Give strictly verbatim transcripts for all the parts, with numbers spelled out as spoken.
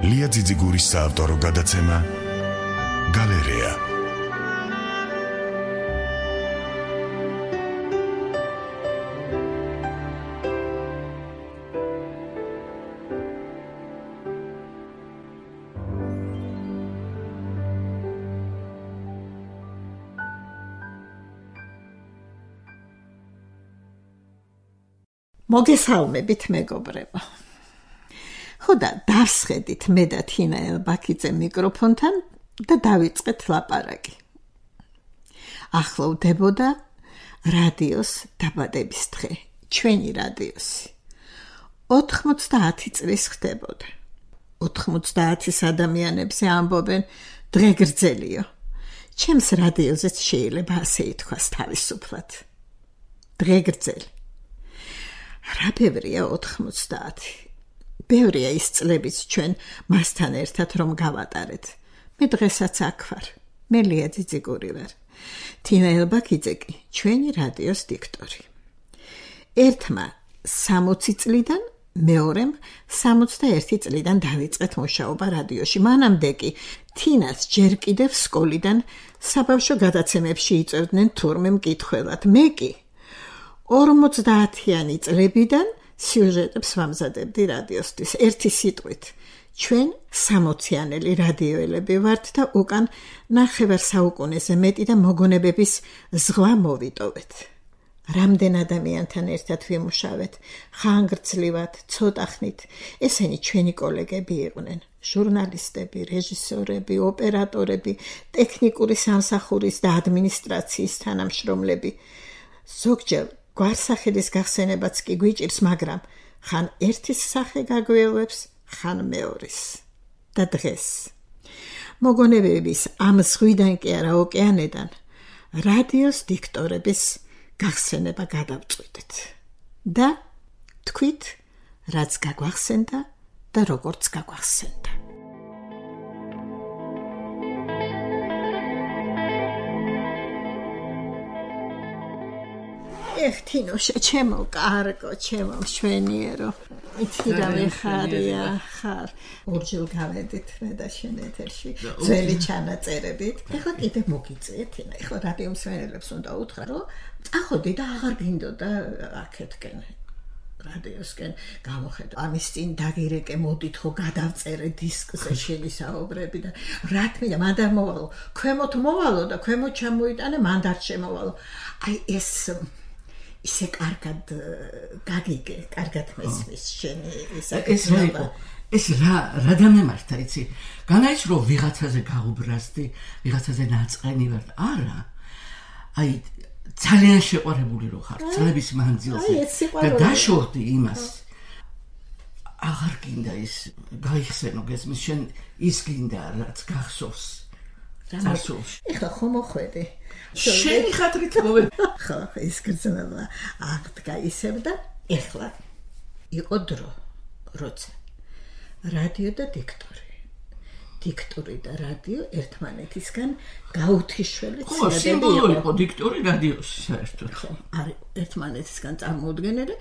ლია ძიძიგურის საავტორო გადაცემა გალერეა. მოგესალმებით მეგობრებო. ხოდა დავსხედით მე და თინა ელბაქიძე მიკროფონთან და დავიწყეთ ლაპარაკი. ახლოვდებოდა რადიოს დაბადების დღე, ჩვენი რადიოსი. ოთხმოცდაათი წლის ხდებოდა. ოთხმოცდაათის ადამიანებზე ამბობენ დღე გრძელიო. ჩემს რადიოზეც შეიძლება ასე ითქვას თავისუფლად. დღე გრძელი. რა ბევრია ოთხმოცდაათი. ბევრია ის წლებიც ჩვენ მასთან ერთად რომ გავატარეთ. მე დღესაც აქ ვარ. მე ლია ძიძიგური ვარ. თინა ელბაქიძე კი ჩვენი რადიოს დიქტორი. ერთმა სამოცი წლიდან, მეორემ სამოცდაერთი წლიდან დავიწყეთ მუშაობა რადიოში. მანამდე კი თინას ჯერ კიდევ სკოლიდან საბავშვო გადაცემებში იწევდნენ თურმე მკითხველად. მე კი ორმოცდაათიანი წლებიდან სიუჟეტებს ვამზადებდი რადიოსთვის. ერთი სიტყვით, ჩვენ სამოციანელი რადიოელები ვართ და უკან ნახევარ საუკუნეზე მეტი და მოგონებების ზღვა მოვიტოვეთ. რამდენ ადამიანთან ერთად ვიმუშავეთ, ხანგრძლივად, ცოტა ხნით. ესენი ჩვენი კოლეგები იყვნენ, ჟურნალისტები, რეჟისორები, ოპერატორები, ტექნიკური სამსახურის და ადმინისტრაციის თანამშრომლები. ზოგჯერ გვარსახელის გახსენებაც კი გვიჭირს, მაგრამ ხან ერთის სახე გაგვეულებს, ხან მეორის. და დღეს მოგონებების ამ ზღვიდან კი არა ოკეანედან რადიოს დიქტორების გახსენება გადავწყვიტეთ. და თქვით, რაც გაგვახსენდა და როგორც გაგვახსენდა. ეხ თინოშა, ჩემო კარგო, ჩემო მშვენიერო. იცი რა მეხარია, ხარ. ორჯერ გავედით მე და შენ ეთერში, ძველი ჩანაწერებით. ეხლა კიდე მოგიწია თინა. ეხლა რადიო მსმენელებს უნდა უთხრა, რომ წახოდი და აღარ გინდოდა აქეთკენ. რადიოსკენ გამოხედო. ამის წინ დაგირეკე, მოდით ხო გადავწერე დისკზე შენი საუბრები და რა თქმა მან და მოვალო. ქვემოთ მოვალო და ქვემოთ ჩამოიტანე, მან და შემოვალო. აი ეს ისე კარგად გაგიგე, კარგად მესმის შენი საკითხი. ეს რა რა დამემართა, იცი? განაიც რომ ვიღაცაზე გაუბრაზდი, ვიღაცაზე ნაწყენი ვარ. არა. აი ძალიან შეყვარებული რო ხარ წლების მანძილზე და დაშორდი იმას. აღარ გინდა ის გაიხსენო გესმის, შენ ის გინდა რაც გახსოვს. რამოსულში. ეხლა ხომ მოხვედი. შენი ხათრით მოვედი. ხო, ის გრძნობა აღდგა ისევ და ეხლა იყო დრო, როცა რადიო და დიქტორი. დიქტორი და რადიო ერთმანეთისგან გაუთიშველი ცნებები იყო. დიქტორი რადიოში საერთოდ. ხო, არის ერთმანეთისგან წარმოუდგენელი.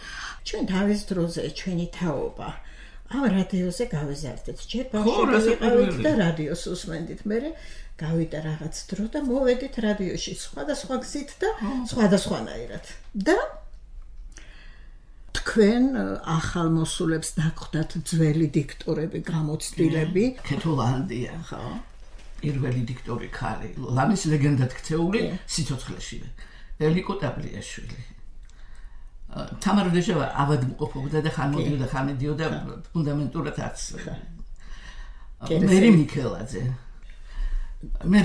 ჩვენ თავის დროზე ჩვენი თაობა ამ რადიოზე გავეზარდეთ. ჯერ ბავშვები ვიყავით და რადიოს უსმენდით. მერე გავიდა რაღაც დრო და მოვედით რადიოში სხვადასხვა გზით და სხვადასხვანაირად. და თქვენ ახალ მოსულებს დაგხვდათ ძველი დიქტორები, გამოცდილები. ქეთოლანდია, ხო? პირველი დიქტორი ქალი, ლამის ლეგენდად ქცეული სიცოცხლეშივე. ელიკო ტაბლიაშვილი. თამარ დეჟავა ავადმყოფობდა და ხან მოდიოდა, ხან მიდიოდა ფუნდამენტურად არც. მერი მიქელაძე. მე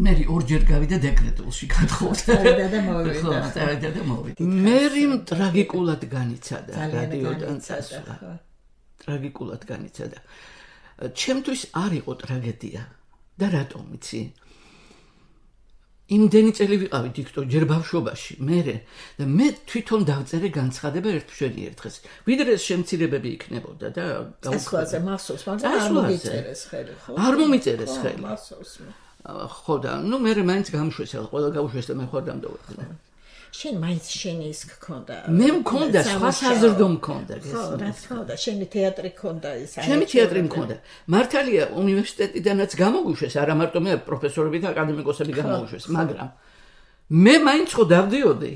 მე ორჯერ გავიდა დეკრეტულში გადხოვდა და მოვიდა. ხო, წავიდა და მოვიდა. მერი ტრაგიკულად განიცადა რადიოდან წასვლა. ტრაგიკულად განიცადა. ჩემთვის არ იყო ტრაგედია. და რატომ იცი? იმდენი წელი ვიყავი დიქტორ ჯერ ბავშვობაში, მერე და მე თვითონ დავწერე განცხადება ერთშვენი ერთხელ. ვიდრე შემცირებები იქნებოდა და გასხვაზე მახსოვს, მაგრამ არ მომიწერეს ხელი, ხო? არ მომიწერეს ხელი. მახსოვს. ხო და ნუ მერე მაინც გამშვესა, ყველა გავუშვეს და მე ხوار დამდოვე. შენ მაინც შენი ის გქონდა. მე მქონდა, სხვა საზრდო მქონდა. ხო, რა თქმა უნდა, შენი თეატრი მქონდა ის. ჩემი თეატრი მქონდა. მართალია, უნივერსიტეტიდანაც გამოუშვეს, არა მარტო მე პროფესორები და აკადემიკოსები გამოუშვეს, მაგრამ მე მაინც ხო დავდიოდი.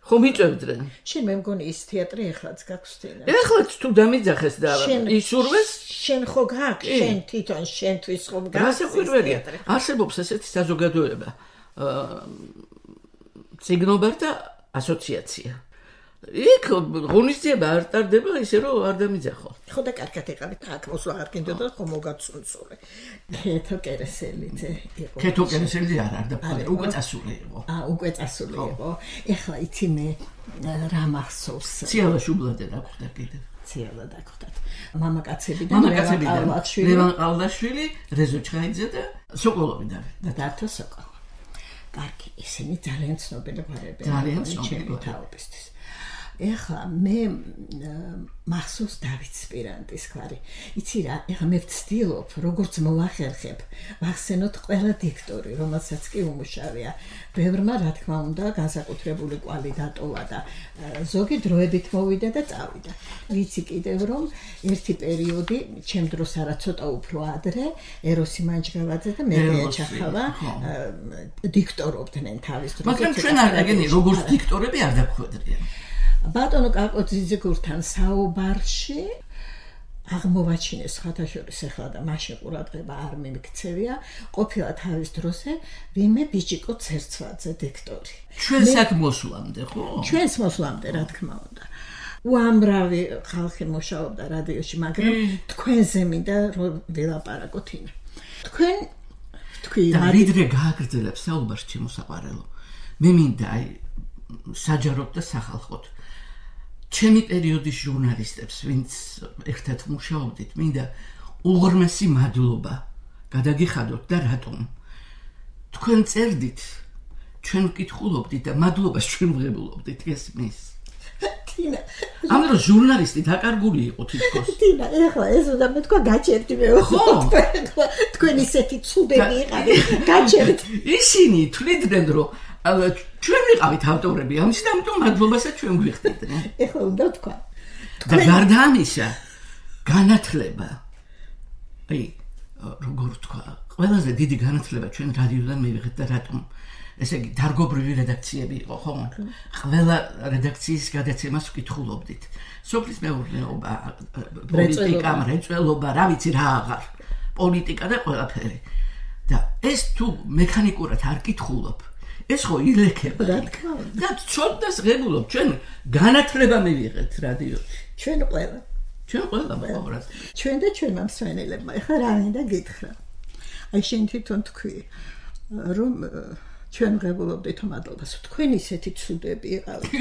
ხო მიწევდნენ. შენ მე მგონი ის თეატრი ეხლაც გაქვს თენა. ეხლაც თუ დამიძახეს და ისურვეს, შენ ხო გაქვს, შენ თვითონ შენთვის ხო გაქვს. გასაკვირველია. არსებობს ესეთი საზოგადოება. ციგნობართა ასოციაცია. იქ ღონისძიება არ ტარდება ისე რომ არ დამიძახო. ხო და კარგად ეყავით აქ მოსვლა არ გინდოდა ხო მოგაცუნცული. ქეთო კერესელიც იყო. ქეთო კერესელი არ არ და უკვე წასული იყო. აა უკვე წასული იყო. ეხლა იცი მე რა მახსოვს. ციალა შუბლადე რა გხდა კიდე. ციალა დაგხვდათ. მამაკაცებიდან მამაკაცებიდან ლევან ყალდაშვილი, რეზო ჩხაიძე და სოკოლოვი და დათო სოკოლოვი. კარგი, ისინი ძალიან ცნობილი გვარები. ძალიან ცნობილი თაობისთვის. ეხლა მე მახსოვს დავით სპირანტის გვარი. იცი რა, ეხლა მე ვცდილობ, როგორც მოვახერხებ, ვახსენოთ ყველა დიქტორი, რომელსაც კი უმუშავია. ბევრმა, რა თქმა უნდა, განსაკუთრებული კვალი დატოვა და ზოგი დროებით მოვიდა და წავიდა. ვიცი კიდევ რომ ერთი პერიოდი, ჩემ დროს არა ცოტა უფრო ადრე, ეროსი მანჯგავაძე და მედია ჩახავა დიქტორობდნენ თავის დროს. მაგრამ ჩვენ არ აგენი როგორც დიქტორები არ დაგვხვედრიან. ბატონო კაკოძიძე გურთან საუბარში აღმოვაჩინეს ხათაშორის ახლა და მაშინ ყურადღება არ მიმიქცევია ყოფილა თავის დროზე ვინმე ბიჭიკო ცერცვაძე დიქტორი ჩვენს აქ მოსვლამდე ხო ჩვენს მოსვლამდე რა თქმა უნდა უამრავი ხალხი მუშაობდა რადიოში მაგრამ თქვენზე მინდა რომ ვილაპარაკოთ ინა თქვენ თქვი და ვიდრე გააგრძელებს საუბარს ჩემო საყვარელო მე მინდა აი საჯაროდ და სახალხოდ ჩემი პერიოდის ჟურნალისტებს, ვინც ერთად მუშაობდით, მინდა უღრმესი მადლობა გადაგიხადოთ და რატომ? თქვენ წერდით, ჩვენ ვკითხულობდით და მადლობას ჩვენ ვღებულობდით, ესმის. თინა, ამიტომ ჟურნალისტი დაკარგული იყო თითქოს. თინა, ეხლა ეს უნდა მეთქვა გაჩერდი მე. ხო, თქვენ ისეთი ცუდები იყავით, გაჩერდი. ისინი თვლიდნენ, რომ ჩვენ ვიყავით ავტორები, ამის და ამიტომ მადლობასაც ჩვენ გვიხდიდნენ. ეხლა უნდა თქვა. და გარდა ამისა, განათლება. აი, როგორ თქვა, ყველაზე დიდი განათლება ჩვენ რადიოდან მივიღეთ და რატომ? ესე იგი, დარგობრივი რედაქციები იყო, ხო? ყველა რედაქციის გადაცემას ვკითხულობდით. სოფლის მეურნეობა, პოლიტიკა, მრეწველობა, რა ვიცი რა აღარ. პოლიტიკა და ყველაფერი. და ეს თუ მექანიკურად არ კითხულობ, ეს ხო ილექება. რა თქმა უნდა. და ცოდნას ღებულობ, ჩვენ განათლება მივიღეთ რადიოში. ჩვენ ყველა. ჩვენ ყველა მოყავართ. ჩვენ და ჩვენმა მსმენელებმა. ეხლა რა მინდა გითხრა. აი შენ თვითონ თქვი, რომ ჩვენ ღებულობდით მადლობას. თქვენ ისეთი ცუდები იყავით.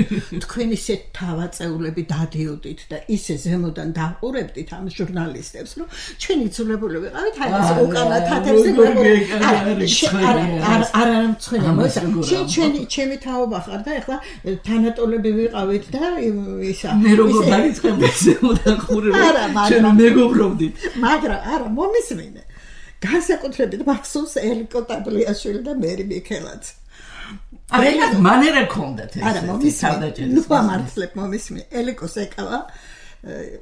თქვენ ისეთ თავაწეულები დადიოდით და ისე ზემოდან დაყურებდით ამ ჟურნალისტებს, რომ ჩვენ იცულებული ვიყავით აი ეს უკანა თათებზე არ არ მცხვენი მოიცა. შენ ჩვენი ჩემი თაობა ხარ და ეხლა თანატოლები ვიყავით და ისა მე როგორ დაიწყებდი ზემოდან ყურება. ჩვენ მეგობრობდით. მაგრამ არა მომისმინე. განსაკუთრებით მახსოვს ელიკო ტაბლიაშვილი და მერი მიქელაც. აი, მანერა ქონდათ ეს. არა, მომისმინე. ნუ ამართლებ მომისმინე. ელიკოს ეკავა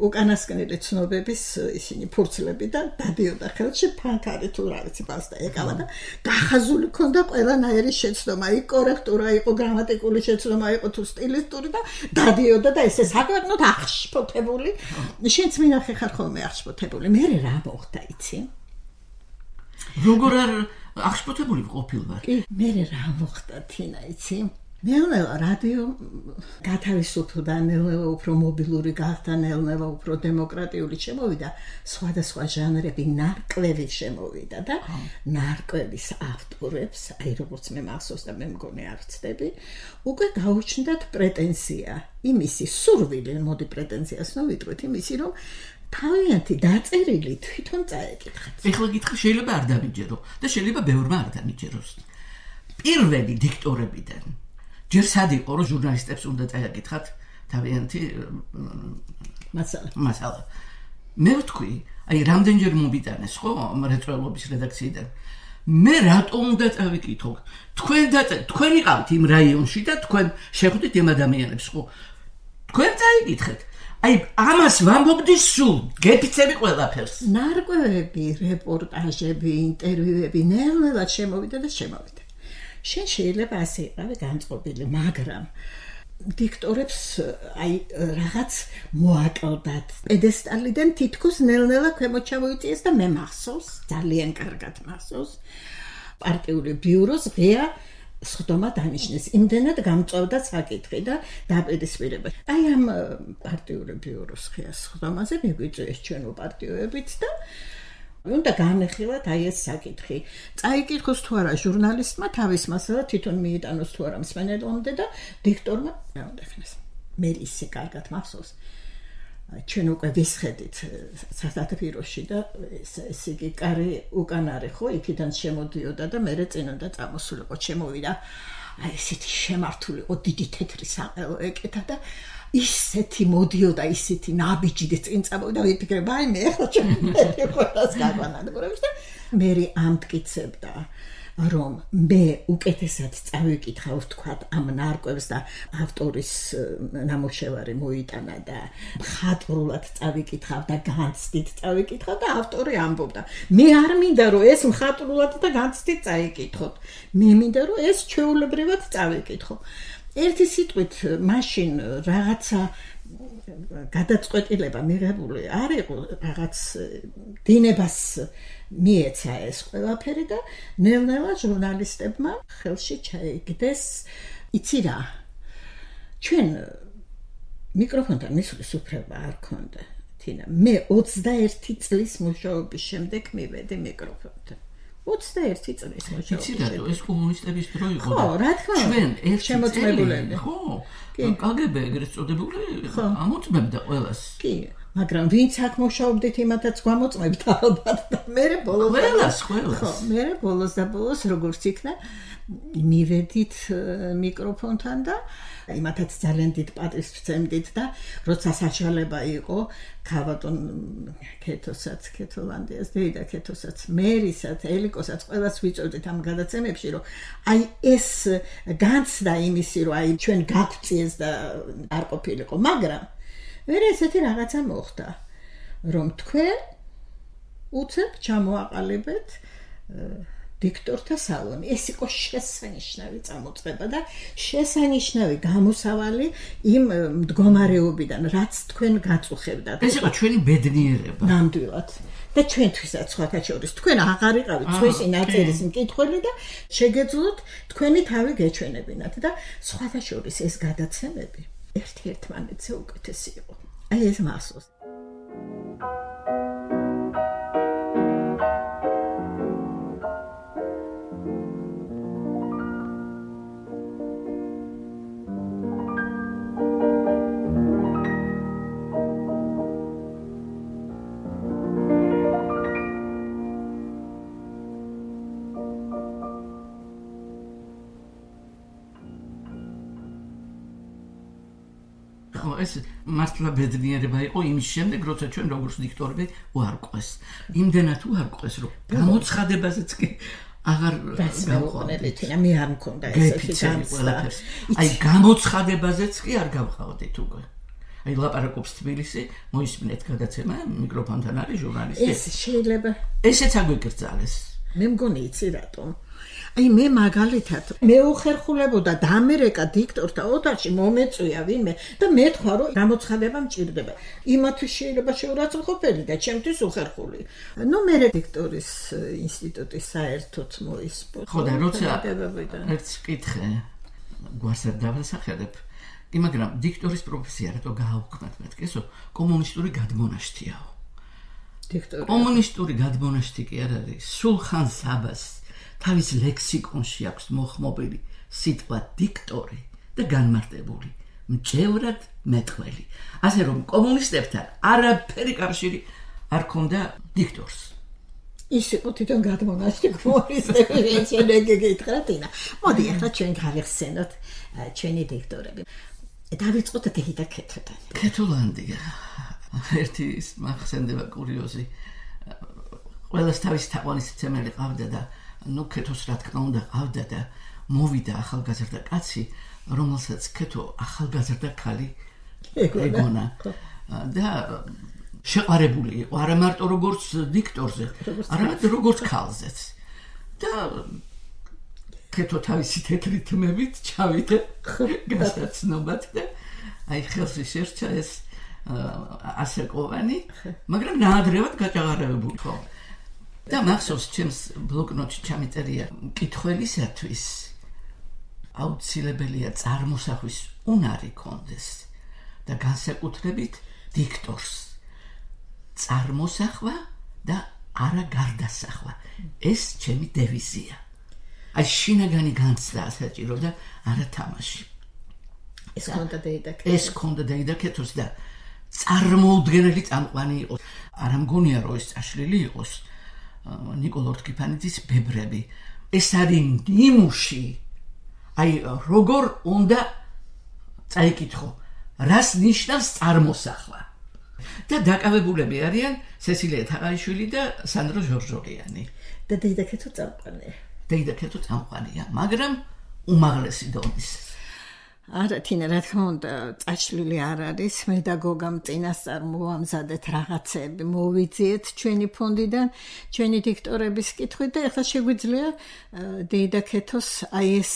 უკანასკნელი ცნობების ისინი ფურცლები და დადიოდა ხელში ფანქარი თუ რა ვიცი პასტა ეკავა და გახაზული ქონდა ყველანაირი შეცდომა. იქ კორექტურა იყო, გრამატიკული შეცდომა იყო თუ სტილისტური და დადიოდა და ესე საკვირნოთ აღშფოთებული. შენც მინახე ხარ ხოლმე აღშფოთებული. მე რა მოხდა იცი? როგორ არ აღშფოთებული ყოფილვარ? კი, მე რა მოხდა თინა იცი? ნელ-ნელა რადიო გათავისუფლდა, ნელ-ნელა უფრო მობილური გახდა, ნელ-ნელა უფრო დემოკრატიული შემოვიდა, სხვადასხვა ჟანრები ნარკვევი შემოვიდა და ნარკვევის ავტორებს, აი როგორც მე მახსოვს და მე მგონი არ ვცდები, უკვე გაუჩნდათ პრეტენზია, იმისი სურვილი, მოდი პრეტენზიას ნოვიტყვით, იმისი რომ თავიანთი დაწერილი თვითონ წაეკითხათ. ეხლა გითხრა შეიძლება არ დამიჯერო და შეიძლება ბევრმა არ დამიჯეროს. პირველი დიქტორებიდან ჯერ სად იყო რომ ჟურნალისტებს უნდა წაეკითხათ თავიანთი მასალა. მასალა. მე ვთქვი, აი რამდენჯერ მომიტანეს ხო მრეწველობის რედაქციიდან. მე რატომ უნდა წავიკითხო? თქვენ და თქვენ იყავით იმ რაიონში და თქვენ შეხვდით იმ ადამიანებს, ხო? თქვენ წაიკითხეთ. აი, ამას ვამბობდი სულ, გეფიცები ყველაფერს. ნარკვევები, რეპორტაჟები, ინტერვიუები ნელ-ნელა შემოვიდა და შემოვიდა. შენ შეიძლება ასე იყავი განწყობილი, მაგრამ დიქტორებს აი რაღაც მოაკლდათ. პედესტალიდან თითქოს ნელ-ნელა ქვემოთ ჩამოიწიეს და მე მახსოვს, ძალიან კარგად მახსოვს. პარტიული ბიუროს ღია სხდომა დანიშნეს. იმდენად გამწვავდა საკითხი და დაპირისპირება. აი ამ პარტიული ბიუროს ღია სხდომაზე მიგვიწვიეს ჩვენ პარტიოებით და უნდა განეხილოთ აი ეს საკითხი. წაიკითხოს თუ არა ჟურნალისტმა თავის მასალა თვითონ მიიტანოს თუ არა მსმენელამდე და დიქტორმა რა უნდა ხდეს. მე ისე კარგად მახსოვს. ჩვენ უკვე ვისხედით სასათბიროში და ეს იგი კარი უკან არის ხო, იქიდან შემოდიოდა და მე წინ უნდა წამოსულიყო, შემოვიდა. აი ესეთი შემართულიყო დიდი თეთრი საყელო ეკეთა და ისეთი მოდიოდა, ისეთი ნაბიჯი წინ წამოვიდა, ვიფიქრე, აი მე ხო ჩემი ყველას გაგვანადგურებს და მე ამტკიცებდა რომ მე უკეთესად წავიკითხავ თქვა ამ ნარკვევს და ავტორის ნამუშევარი მოიტანა და მხატვრულად წავიკითხავ და განცდით წავიკითხავ და ავტორი ამბობდა მე არ მინდა რომ ეს მხატვრულად და განცდით წაიკითხოთ, მე მინდა რომ ეს ჩვეულებრივად წავიკითხო. ერთი სიტყვით მაშინ რაღაცა გადაწყვეტილება მიღებული არ იყო, რაღაც დინებას მიეცა ეს ყველაფერი და ნელ-ნელა ჟურნალისტებმა ხელში ჩაიგდეს, იცი რა, ჩვენ მიკროფონთან მისვლის უფლება არ ქონდა, თინა, მე ოცდაერთი წლის მუშაობის შემდეგ მივედი მიკროფონთან. ოცდაერთი წლის მუშაობის. იცი რა, ეს კომუნისტების დრო იყო. ხო, რა თქმა უნდა. ჩვენ ერთი შემოწმებულები. ხო, კაგები ეგრეთ წოდებული ამოწმებდა ყველას. კი. მაგრამ ვინც აქ მუშაობდით იმათაც გვამოწმებდა ალბათ და მე ბოლოს ყველას ყველას ხო მე ბოლოს და ბოლოს როგორც იქნა მივედით მიკროფონთან და იმათაც ძალიან დიდ პატივს ვცემდით და როცა საშუალება იყო ქავატონ ქეთოსაც ქეთოლანდიას დეიდა ქეთოსაც მერისაც ელიკოსაც ყველას ვიწოდით ამ გადაცემებში რომ აი ეს განცდა იმისი რომ აი ჩვენ გავწიეს და არ ყოფილიყო მაგრამ ვერ ესეთი რაღაცა მოხდა, რომ თქვენ უცებ ჩამოაყალიბეთ დიქტორთა სალონი. ეს იყო შესანიშნავი წამოწყება და შესანიშნავი გამოსავალი იმ მდგომარეობიდან, რაც თქვენ გაწუხებდათ. ეს იყო ჩვენი ბედნიერება. ნამდვილად. და ჩვენთვისაც სხვათა შორის თქვენ აღარ იყავით სხვისი ნაწილის მკითხველი და შეგეძლოთ თქვენი თავი გეჩვენებინათ და სხვათა შორის ეს გადაცემები ერთ-ერთმანეთზე უკეთესი იყო. აი ეს მახსოვს. ეს მართლა ბედნიერება იყო იმის შემდეგ, როცა ჩვენ როგორც დიქტორები უარყვეს. იმდენად უარყვეს, რომ გამოცხადებაზეც კი აღარ გავყავდით, მე არ მქონდა ესეთი განცდა. აი გამოცხადებაზეც კი არ გავყავდით უკვე. აი ლაპარაკობს თბილისი, მოისმინეთ გადაცემა, მიკროფონთან არის ჟურნალისტი. ეს შეიძლება ესეც აგვიკრძალეს. მე მგონი იცი რატომ. აი მე მაგალითად მე უხერხულებოდა დამერეკა დიქტორთა ოთახში მომეწვია ვინმე და მეთქვა რომ გამოცხადება მჭირდება. იმათვის შეიძლება შეურაცხყოფელი და ჩემთვის უხერხული. ნუ მე დიქტორის ინსტიტუტის საერთოდ მოისპო. ხო და როცა ერთს ვკითხე, გვარს არ დავასახელებ, მაგრამ დიქტორის პროფესია რატო გააუქმათ მეთქესო, კომუნისტური გადმონაშთიაო. დიქტორი. კომუნისტური გადმონაშთი კი არ არის, სულხან საბას თავის ლექსიკონში აქვს მოხმობილი სიტყვა დიქტორი და განმარტებული მჭევრად მეტყველი. ასე რომ კომუნისტებთან არაფერი კავშირი არ ქონდა დიქტორს. ის იყო თვითონ გადმონაშთი კომუნისტები, ჩვენ გეკითხა თინა. მოდი ახლა ჩვენ გავიხსენოთ ჩვენი დიქტორები. დავიწყოთ დეიდა ქეთოდან. ქეთოლანდია. ერთი მახსენდება კურიოზი. ყველას თავის თაყვანის ცემელი ყავდა და ნუ ქეთოს რა თქმა უნდა ყავდა და მოვიდა ახალგაზრდა კაცი, რომელსაც ქეთო ახალგაზრდა ქალი ეგონა და შეყარებული იყო არა მარტო როგორც დიქტორზე, არამედ როგორც ქალზეც. და ქეთო თავისი თეთრი თმებით ჩავიდა გასაცნობად და აი ხელში შერჩა ეს ასაკოვანი, მაგრამ ნაადრევად გაჭაღარებებული ხო. და მახსოვს ჩემს ბლოკნოტში ჩამიწერია მკითხველისათვის აუცილებელია წარმოსახვის უნარი კონდეს და განსაკუთრებით დიქტორს წარმოსახვა და არა გარდასახვა. ეს ჩემი დევიზია. აი შინაგანი განცდა საჭირო და არა თამაში. ეს კონდა დაიდაკეთოს. ეს კონდა დაიდაკეთოს და წარმოუდგენელი წამყვანი იყოს. არა მგონია რომ ეს წაშლილი იყოს ნიკოლ ორთქიფანიძის ბებრები. ეს არის ნიმუში. აი როგორ უნდა წაიკითხო, რას ნიშნავს წარმოსახვა. და დაკავებულები არიან სესილია თაყაიშვილი და სანდრო ჟორჟოლიანი. და დაიდაკეთო წამყვანია. დაიდაკეთო წამყვანია, მაგრამ უმაღლესი დონის. არა თინა რა თქმა უნდა წაშლილი არ არის, მე და გოგამ წინასწარ მოვამზადეთ რაღაცები, მოვიძიეთ ჩვენი ფონდიდან ჩვენი დიქტორების კითხვით და ეხლა შეგვიძლია დაიდაკეთოს აი ეს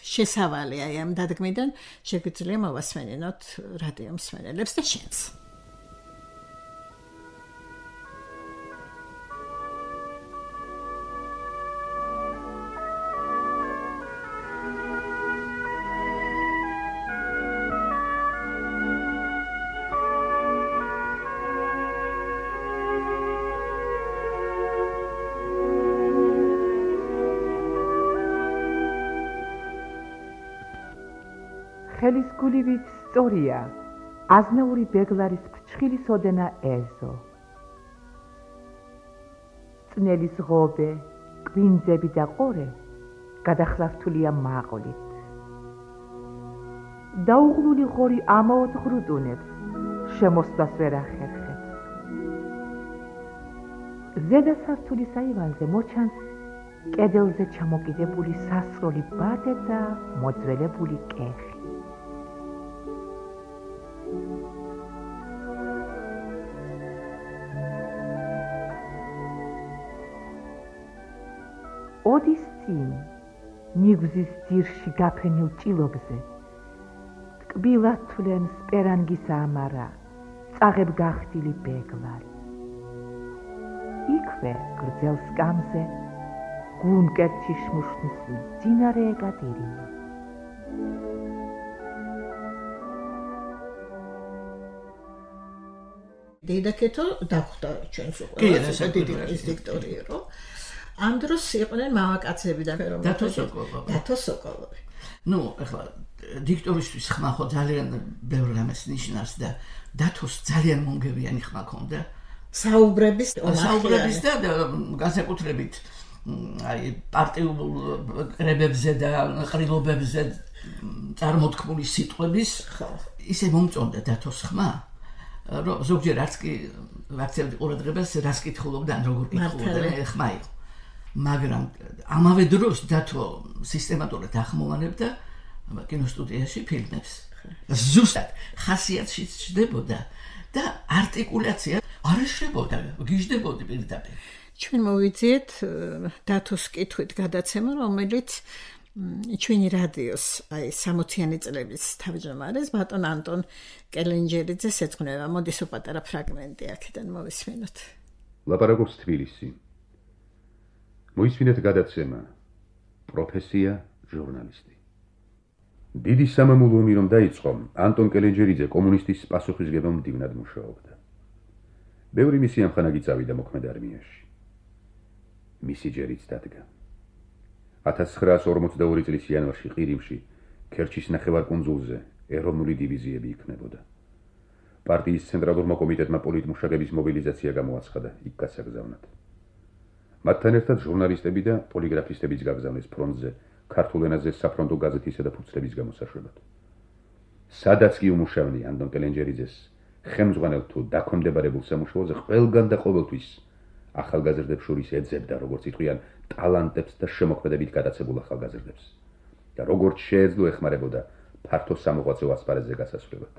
შესავალი აი ამ დადგმიდან შეგვიძლია მოვასმენინოთ რადიო მსმენელებს და შენს. ხელის გულივით სწორია აზნაური ბეგლარის ფრჩხილის ოდენა ეზო. წნელის ღობე, კვინძები და ყორე გადახლართულია მაყოლით. დაუღლული ღორი ამაოდ ღრუტუნებს, შემოსვლას ვერ ახერხებს. ზედა სართულის აივანზე მოჩანს კედელზე ჩამოკიდებული სასროლი ბადე და მოძველებული კეხი. ოდის წინ ნიგზის ძირში გაფრენილ ჭილობზე ტკბილად თვლენ სპერანგის ამარა წაღებ გახდილი ბეგლარი. იქვე გრძელ სკამზე გუნკერტში შმუშნის მძინარე ეკატერინე. დაიდაკეთო დახვდა ჩვენს უყურეს დიდი დიქტორი რო ამ დროს იყვნენ მამაკაცები და დათო სოკოლოვი. დათო სოკოლოვი. ნუ ახლა დიქტორისთვის ხმა ხო ძალიან ბევრ რამეს ნიშნავს და დათოს ძალიან მომგებიანი ხმა ქონდა. საუბრების საუბრების და განსაკუთრებით აი პარტიულ კრებებზე და ყრილობებზე წარმოთქმული სიტყვების ისე მომწონდა დათოს ხმა, რომ ზოგჯერ არც კი ვაქცევდი ყურადღებას რას კითხულობდა ან როგორ კითხულობდა ხმა იყო. მაგრამ ამავე დროს დათო სისტემატურად ახმოვანებდა კინოსტუდიაში ფილმებს. ზუსტად ხასიათში ჩნდებოდა და არტიკულაცია არ ეშლებოდა, გიждდებოდი პირდაპირ. ჩვენ მოვიძიეთ დათოს კითხვით გადაცემა, რომელიც ჩვენი რადიოს აი სამოციანი წლების თავმჯდომარეს ბატონ ანტონ კელენჯერიძეს ეძღვნება. მოდის უპატარა ფრაგმენტი აქედან მოვისმინოთ. ლაპარაკობს თბილისი. მოისმინეთ გადაცემა პროფესია ჟურნალისტი. დიდი სამამულო ომი რომ დაიწყო, ანტონ კელენჯერიძე კომუნისტის პასუხისგებამ მდივნად მუშაობდა. ბევრი მისი ამხანაგი წავიდა მოქმედ არმიაში. მისი ჯერიც დადგა. ათას ცხრაას ორმოცდაორი წლის იანვარში ყირიმში, ქერჩის ნახევარკუნძულზე ეროვნული დივიზიები იქნებოდა. პარტიის ცენტრალურმა კომიტეტმა პოლიტმუშაკების მობილიზაცია გამოაცხადა იქ გასაგზავნად. მათთან ერთად ჟურნალისტები და პოლიგრაფისტებიც გაგზავნეს ფრონტზე ქართულ ენაზე საფრონტო გაზეთისა და ფურცლების გამოსაშვებად. სადაც კი უმუშავნი ანტონ კელენჯერიძეს, ხელმძღვანელ თუ დაქვემდებარებულ სამუშაოზე ყველგან და ყოველთვის ახალგაზრდებს შორის ეძებდა, როგორც იტყვიან, ტალანტებს და შემოქმედებით გადაცებულ ახალგაზრდებს და როგორც შეეძლო ეხმარებოდა ფართო სამოღვაწეო ასპარეზზე გასასვლელად.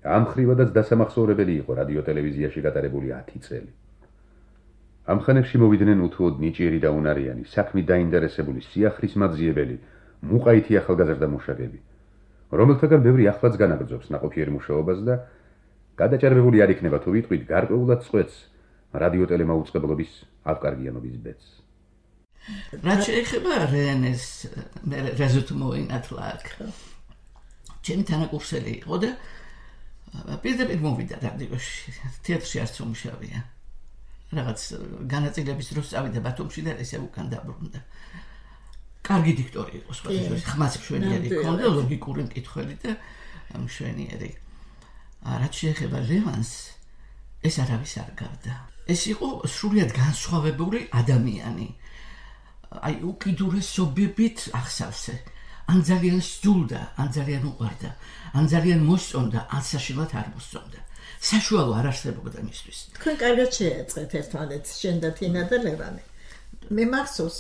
ამ ხრივადაც დასამახსოვრებელი იყო რადიო-ტელევიზიაში გატარებული ათი წელი. ამ ხანებში მოვიდნენ უთუოდ ნიჭიერი და უნარიანი, საქმით დაინტერესებული, სიახლისმაძიებელი, მუყაითი ახალგაზრდა მუშაკები, რომელთაგან ბევრი ახლაც განაგრძობს ნაყოფიერ მუშაობას და გადაჭარბებული არ იქნება თუ ვიტყვით გარკვეულად წყვეტს რადიო-ტელემაუწყებლობის ავკარგიანობის ბედს. რაც შეეხება რენეს რეზულტ მოინათლა აქ. ჩემი თანაკურსელი იყო და პირდაპირ მოვიდა რადიოში, თეატრში არც უმუშავია. რაღაც განაწილების დროს წავიდა ბათუმში და ესე უკან დაბრუნდა. კარგი დიქტორი იყო, სხვადასხვა ხმაც მშვენიერი ჰქონდა, ლოგიკური მკითხველი და მშვენიერი. რაც შეეხება ლევანს, ეს არავის არ გავდა. ეს იყო სრულიად განსხვავებული ადამიანი. აი უკიდურესობებით ახსავსე. ან ძალიან სძულდა, ან ძალიან უყვარდა, ან ძალიან მოსწონდა, ან საშინლად არ მოსწონდა. საშუალო არ არსებობდა მისთვის. თქვენ კარგად შეეწყეთ ერთმანეთს, შენ და თინა და ლევანი. მე მახსოვს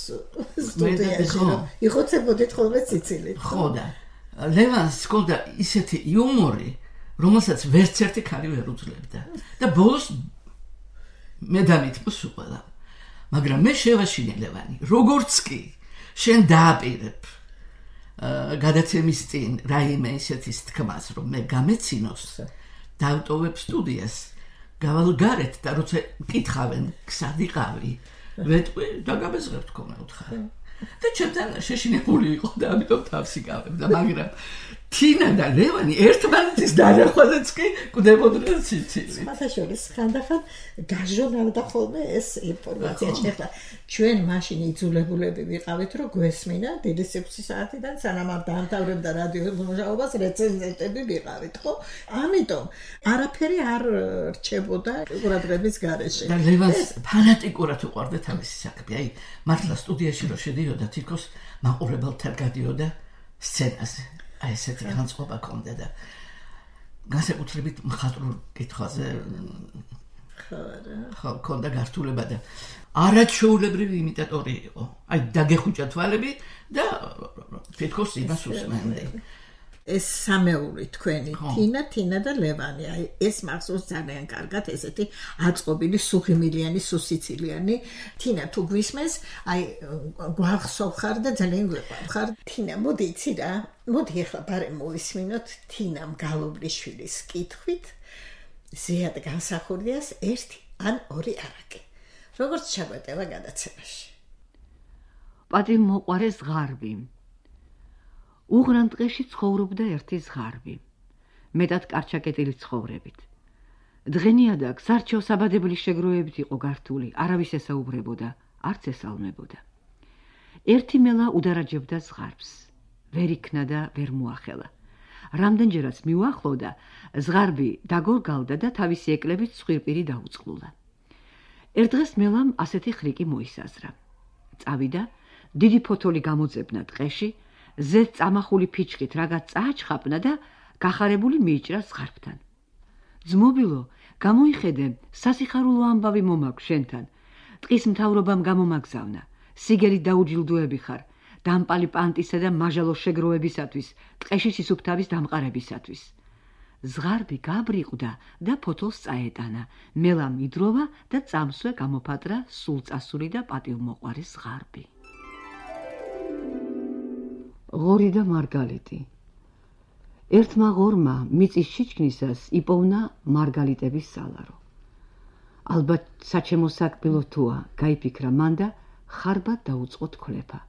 სტუდიაში რომ იხოცებოდით ხოლმე ციცილით. ხო და ლევანს ჰქონდა ისეთი იუმორი, რომელსაც ვერც ერთი ქალი ვერ უძლებდა. და ბოლოს მე დამიტყო სულ. მაგრამ მე შევაშინე ლევანი, როგორც კი შენ დააპირებ გადაცემის წინ რაიმე ისეთის თქმას, რომ მე გამეცინოს, დავტოვებ სტუდიას, გავალ გარეთ და როცა მკითხავენ, ქსად იყავი, ვეტყვი და გამეზღებ თქო მე უთხარ. და ჩემთან შეშინებული იყო და ამიტომ თავს იკავებდა, მაგრამ თინა და ლევანი ერთმანეთის დანახვაზეც კი კვდებოდნენ სიცილით. სხვათაშორის ხანდახან გაჟონავდა ხოლმე ეს ინფორმაცია. ეხლა ჩვენ მაშინ იძულებულები ვიყავით, რომ გვესმინა დიდი სიქვცის საათიდან სანამ არ დაამთავრებდა რადიო მუშაობას რეცენზენტები ვიყავით, ხო? ამიტომ არაფერი არ რჩებოდა ყურადღების გარეშე. და ლევანს ფანატიკურად უყვარდა თავისი საქმე. აი, მართლა სტუდიაში რო შედიოდა, თითქოს მაყურებელთან გადიოდა სცენაზე. აი ესეთი განწყობა ჰქონდა და განსაკუთრებით მხატვრულ კითხვაზე ხო ჰქონდა გართულება და არაჩვეულებრივი იმიტატორი იყო. აი დაგეხუჭა თვალები და თითქოს იმას უსმენდი. ეს სამეული თქვენი თინა, თინა და ლევანი. აი ეს მახსოვს ძალიან კარგად ესეთი აწყობილი, სუხიმილიანი, სუსიცილიანი. თინა თუ გვისმენს, აი გვახსოვხარ და ძალიან გვეყვარხარ. თინა, მოდი იცი რა, მოდი ახლა ბარემ მოვისმინოთ თინამ გალობლიშვილის კითხვით ზიად განსახურდიას ერთი ან ორი არაკი. როგორც ჩაგვეტევა გადაცემაში. პატიმ მოყვარეს ზღარბი. უღრან ტყეში ცხოვრობდა ერთი ზღარბი, მეტად კარჩაკეტილი ცხოვრებით. დღენიადაკ სარჩეო საბადებული შეგროვებით იყო გართული, არავის ესაუბრებოდა, არც ესალმებოდა. ერთი მელა udaraჯებდა ზღარბს, ვერ იქნა და ვერ მოახელა. რამდენჯერაც მიუახლოვდა, ზღარბი დაგორგალდა და თავისი ეკლებით ცხვირპირი დაუწყლულა. ერთ დღეს მელამ ასეთი ხრიკი მოისაზრა. წავიდა, დიდი ფოთოლი გამოძებნა ტყეში, ზედ წამახული ფიჩხით რაღაც წააჩხაპნა და გახარებული მიიჭრა ზღარბთან. ძმობილო, გამოიხედე, სასიხარულო ამბავი მომაქვს შენთან. ტყის მთავრობამ გამომაგზავნა. სიგელით დაუჯილდოები ხარ, დამპალი პანტისა და მაჟალო შეგროვებისათვის, ტყეში სისუფთავის დამყარებისათვის. ზღარბი გაბრიყვდა და ფოთოლს წაეტანა. მელამ იდროვა და წამსვე გამოფატრა სულწასული და პატივმოყვარი ზღარბი. ღორი და მარგალიტი. ერთმა ღორმა მიწის შიჩქნისას იპოვნა მარგალიტების სალარო. ალბათ საჩემო საკბილო თუა, გაიფიქრა მან და ხარბად დაუწყო თქლეფა.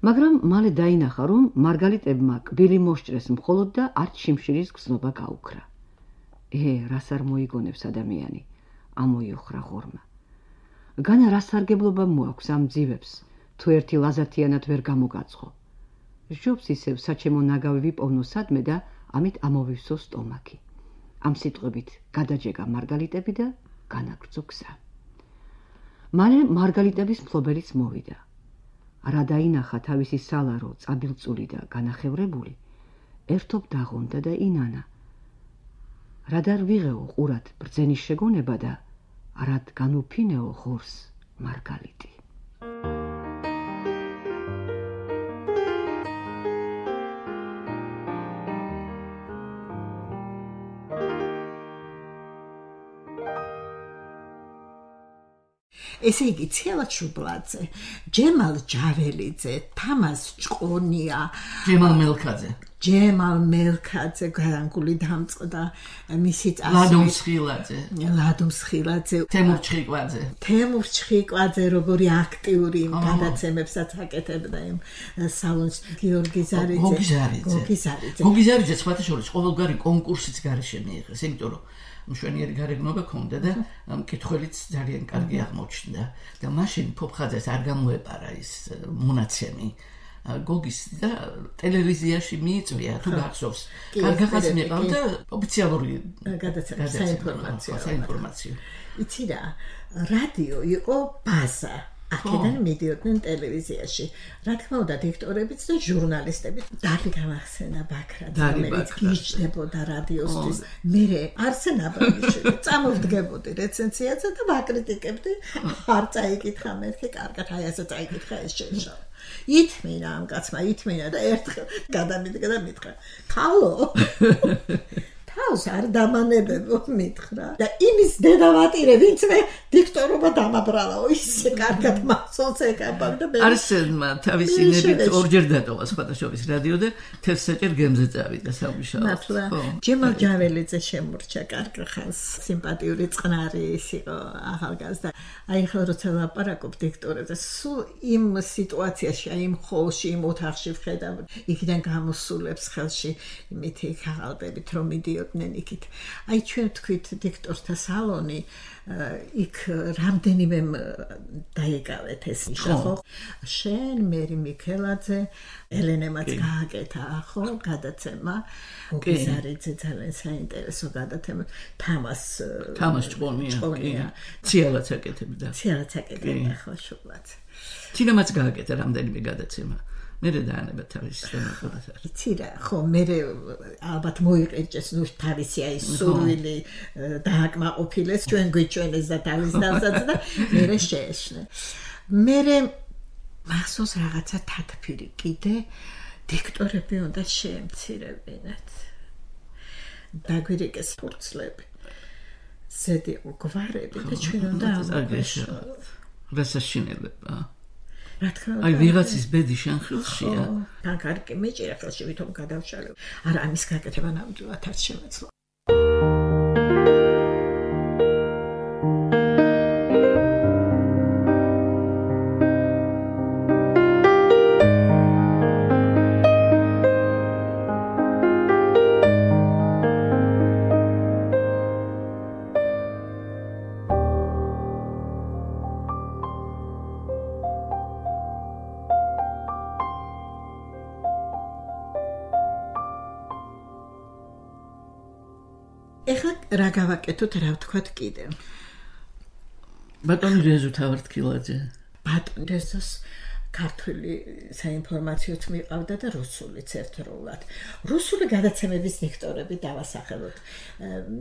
მაგრამ მალე დაინახა, რომ მარგალიტებმა კბილი მოსჭრეს მხოლოდ და არც შიმშილის გზნობა გაუქრა. ე, რას არ მოიგონებს ადამიანი, ამოიუხრა ღორმა. განა რა სარგებლობა მოაქვს ამ ძივებს, თუ ერთი ლაზათიანად ვერ გამოგაცხო. ჟობს ისევ საჩემო ნაგავი ვიპოვნო სადმე და ამით ამოვივსო სტომაქი. ამ სიტყვებით გადაჯეგა მარგალიტები და განაგრძო გზა. მალე მარგალიტების მფლობელიც მოვიდა. რა დაინახა თავისი სალარო წაბილწული და განახევრებული, ერთობ დაღონდა და ინანა. რა დარ ვიღეო ყურად ბრძენის შეგონება და რადგან უფინეო ღორს მარგალიტი. ესე იგი ციალა ჩუბლაძე, ჯემალ ჯაველიძე, თამას ჭყონია, ჯემალ მელქაძე, ჯემალ მელქაძე გარანგული დამწყდა, მისი წასული ლადომ სხილაძე, ლადომ სხილაძე, თემურ ჩხიკვაძე, თემურ ჩხიკვაძე, როგორი აქტიური გადაცემებსაც აკეთებდა იმ სალონს, გიორგი ზარიძე, გოგი ზარიძე, გოგი ზარიძე, გოგი ზარიძე სხვათა შორის ყოველგვარი კონკურსიც გარეშე მიიღეს, იმიტომ რომ მშვენიერი გარეგნობა ქონდა და მკითხველიც ძალიან კარგი აღმოჩნდა და მაშინ ფოფხაძეს არ გამოეპარა ის მონაცემი გოგის და ტელევიზიაში მიიწვია თუ გახსოვს კარგახაც მიყავდა ოფიციალური გადაცემა საინფორმაციო საინფორმაციო იცი რა რადიო იყო ბაზა აქედან მიდიოდნენ ტელევიზიაში. რა თქმა უნდა, დიქტორებიც და ჟურნალისტებიც. დალი გამახსენა ბაქრაძე, რომელიც გიჩნდებოდა რადიოსთვის. მე არსენ აბრამიშვილი წამოვდგებოდი რეცენზიაზე და ვაკრიტიკებდი. არ წაიკითხა მერქე, კარგად, აი ასე წაიკითხა ეს შეშო. ითმინა ამ კაცმა, ითმინა და ერთხელ გადამიდგა და მითხრა: "ხალო" თავს არ დამანებებო მითხრა და იმის დედავატირე ვინც მე დიქტორობა დამაბრალაო ისე კარგად მასონს ეკაბავ და მე არსენმა თავისი ნებით ორჯერ დატოვა სხვადასხვა რადიო და თესაჭერ გემზე წავიდა სამუშაოდ. ჯემალ ჯაველიძე შემორჩა კარგ ხანს სიმპათიური წყნარი ის იყო ახალგაზრდა. აი ხელ როცა ლაპარაკობ დიქტორებზე სულ იმ სიტუაციაში აი იმ ხოლში იმ ოთახში ვხედავ იქიდან გამოსულებს ხელში იმითი ხალბებით რომ მიდიო ნენიკით. აი ჩვენ თქვით დიქტორთა სალონი იქ რამდენიმე დაიკავეთ ეს ისახო. შენ მერი მიქელაძე, ელენემაც გააკეთა ხო გადაცემა. გოგიზარიძე ძალიან საინტერესო გადაცემა. თამას თამას ჭყონია. ციალაც აკეთებდა. ციალაც აკეთებდა ხო შუბლაც. თინამაც გააკეთა რამდენიმე გადაცემა. მერე დაანება თავის სტენოგრაფს. იცი რა, ხო, მერე ალბათ მოიყეჭეს ნუ თავისი აი სურვილი დააკმაყოფილეს, ჩვენ გვიჩვენეს და თავის დავსაც და მერე შეეშნე. მერე მახსოვს რაღაცა თათფირი კიდე დიქტორები უნდა შეემცირებინათ. დაგვირეკეს ფურცლები. ზედი გვარები და ჩვენ უნდა აგეშავთ. რასაშინელება. რა თქმა უნდა. აი ვიღაცის ბედი შენ ხელშია. თან კარგი მეჭირა ხელში ვითომ გადავშალებ. არა ამის გაკეთება ნამდვილად არ შემეცლა. ეხლა რა გავაკეთოთ, რა ვთქვათ კიდე? ბატონი რეზო თავართქილაძე. ბატონი რეზოს ქართული საინფორმაციოც მიყავდა და რუსულიც ერთდროულად. რუსული გადაცემების დიქტორები დავასახელოთ.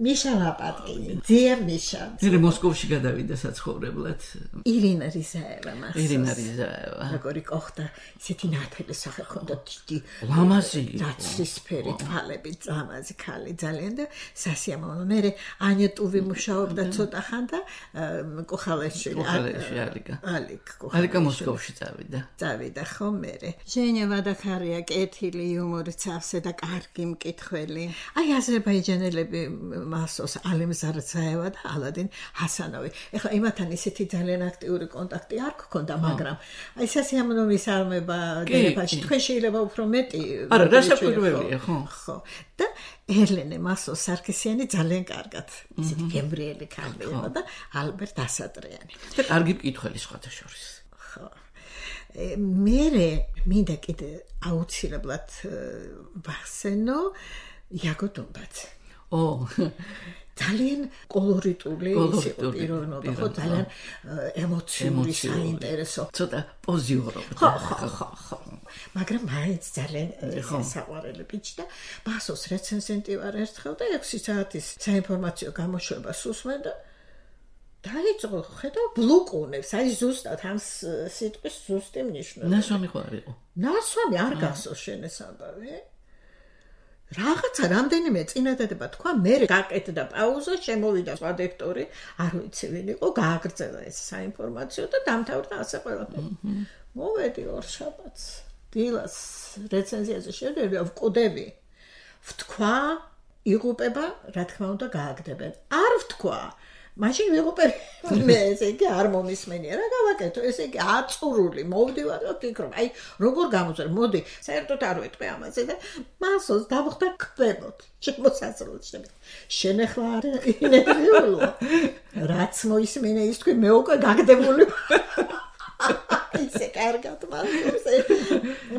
მიშა ლაპატკინი, ძია მიშა. მე მოსკოვში გადავიდა საცხოვრებლად. ირინა რიზაევა მახსოვს. ირინა რიზაევა. როგორი ყოხდა, ისეთი ნათელი სახე ჰქონდა დიდი. ლამაზი. ნაცრისფერი თვალები, ლამაზი ქალი ძალიან და სასიამოვნო. მე ანია ტუვი მუშაობდა ცოტა ხან და კოხალეშვილი. კოხალეშვილი ალიკა. ალიკ კოხალეშვილი. ალიკა მოსკოვში წავიდა. წავიდა ხო მერე. ჟენია ვადახარია კეთილი, იუმორით სავსე და კარგი მკითხველი. აი აზერბაიჯანელები მასოს ალიმ ზარცაევა და ალადინ ჰასანოვი. ეხლა იმათან ისეთი ძალიან აქტიური კონტაქტი არ გქონდა, მაგრამ აი სასიამოვნო მისალმება დერეფაში თქვენ შეიძლება უფრო მეტი. არა, გასაკვირველია, ხო. ხო. და ერლენე მასო სარქისიანი ძალიან კარგად ისეთი გემბრიელი ქალი იყო და ალბერტ ასატრიანი. და კარგი მკითხველი სხვათა შორის. ხო. მერე მინდა კიდე აუცილებლად ვახსენო იაგო დონბაძე. ო ძალიან კოლორიტული იყო პიროვნება, ხო, ძალიან ემოციური, საინტერესო. ცოტა პოზიორობდა. ხო, ხო, ხო, ხო. მაგრამ მაინც ძალიან საყვარელი ბიჭი და ბასოს რეცენზენტი ვარ ერთხელ და ექვსი საათის საინფორმაციო გამოშვებას უსმენ და დაიწყო ხედა ბლუკუნებს, აი ზუსტად ამ სიტყვის ზუსტი მნიშვნელობა. ნასვამი ხო არ იყო? ნასვამი არ გახსოვს შენ ეს ამბავი? რაღაცა რამდენიმე წინადადება თქვა, მე გაკეთდა პაუზა, შემოვიდა სხვა დექტორი, არ ვიცი ვინ იყო, გააგრძელა ეს საინფორმაციო და დამთავრდა ასე ყველაფერი. მოვედი ორშაბათს, დილას რეცენზიაზე შევდები, ვკვდები. ვთქვა, იღუპება, რა თქმა უნდა, გააგდებენ. არ ვთქვა. მაშინ ვიღუპები მე ესე იგი არ მომისმენია რა გავაკეთო ესე იგი აწურული მოვდივარ და ვფიქრობ აი როგორ გამოწერ მოდი საერთოდ არ ვეტყვი ამაზე და მასოს დავხდა კვებოთ შემოსასრულოდ შევიდე შენ ახლა არ ინერვიულო რაც მოისმენე ის თქვი მე უკვე გაგდებული ისე კარგად მასოს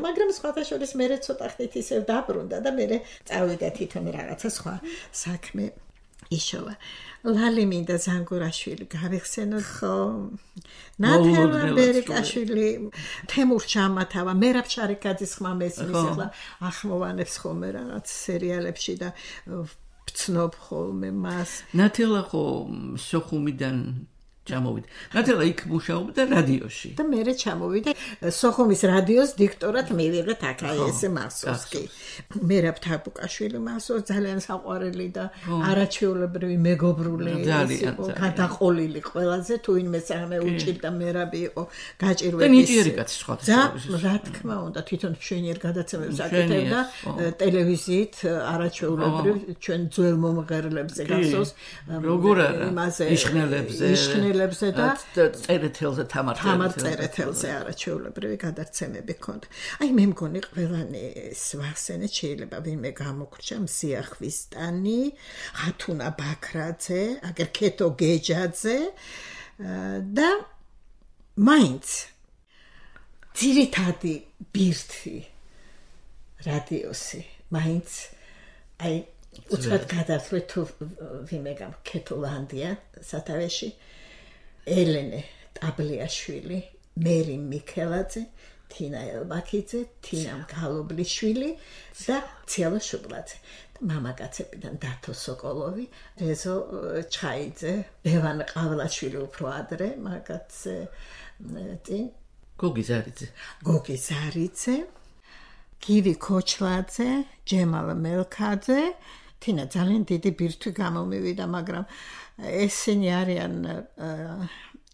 მაგრამ სხვათა შორის მე ცოტა ხნით ისევ დაბრუნდა და მე წავიდა თვითონ რაღაცა სხვა საქმე იშოვა ლალი მინდა ზანგურაშვილი გავიხსენოთ ხო ნათელა ბერიკაშვილი თემურ ჩამათავა მერაბ შარიკაძის ხმა მესმის ახლა ახმოვანებს ხოლმე რაღაც სერიალებში და ვცნობ ხოლმე მას ნათელა ხო სოხუმიდან ჩამოვიდა. ნათელა იქ მუშაობდა რადიოში. და მე ჩამოვიდა სოხუმის რადიოს დიქტორად მივიღეთ აქ აი ესე მასოვსკი. მერაბ თაბუკაშვილი მასო ძალიან საყვარელი და არაჩვეულებრივი მეგობრული იყო, გადაყოლილი ყველაზე თუ ვინმე სამე უჭირდა მერაბი იყო გაჭირვების. და ნიჭიერი კაცი სხვა. და რა თქმა უნდა თვითონ მშვენიერ გადაცემებს აკეთებდა ტელევიზიით არაჩვეულებრივ ჩვენ ძველ მომღერლებზე გახსოვს როგორ იმაზე იშხნელებზე იშხნელებზე და წერეთელზე თამარ თამარ წერეთელზე არაჩვეულებრივი გადაცემები ჰქონდა. აი მე მგონი ყველანი სვახსენე შეიძლება ვინმე გამოგრჩა მსია ხვისტანი, ხათუნა ბაქრაძე, აგერ ქეთო გეჯაძე და მაინც ძირითადი ბირთი რადიოსი მაინც აი უცბად გადავთვლით თუ ვინმე გამქეთოლანდია სათავეში ელენე ტაბლიაშვილი, მერი მიქელაძე, თინა ელბაქიძე, თინა მგალობლიშვილი და ციალა შუბლაძე. მამაკაცებიდან დათო სოკოლოვი, რეზო ჩხაიძე, ლევან ყავლაშვილი უფრო ადრე, მაგაცე წინ გოგი ზარიძე. გოგი ზარიძე, გივი ქოჩლაძე, ჯემალა მელქაძე, თინა ძალიან დიდი ბირთვი გამომივიდა, მაგრამ ესენი არიან